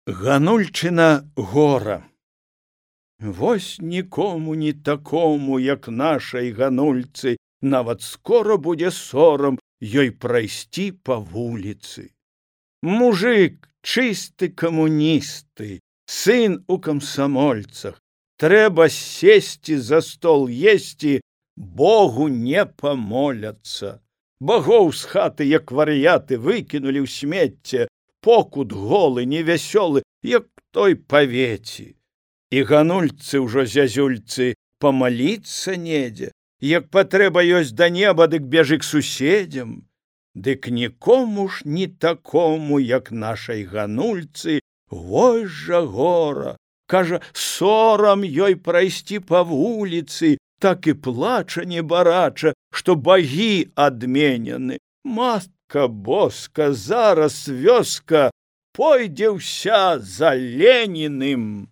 Ганульчына гора. Вось нікому не такому, як нашай ганульцы, нават скора будзе сорам ёй прайсці па вуліцы. Мужик, чысты камуністы, сын у камсамольцах, трэба сесці за стол есці, Богу не памоляцца. Богоў з хаты, як вар'яты, выкінулі ў смецце, покут голы, невясёлы, як той павеці. І ганульцы ўжо зязюльцы памаліцца недзе, як патрэба ёсць да неба, дык бежы к суседзям. Дык нікому ж не такому, як нашай ганульцы, вось жа гора. Кажа, сорам ёй прайсці па вуліцы, так і плача небарача, што багі адменены. Матка боска, зараз вёска пойдзе ўся за Леніным.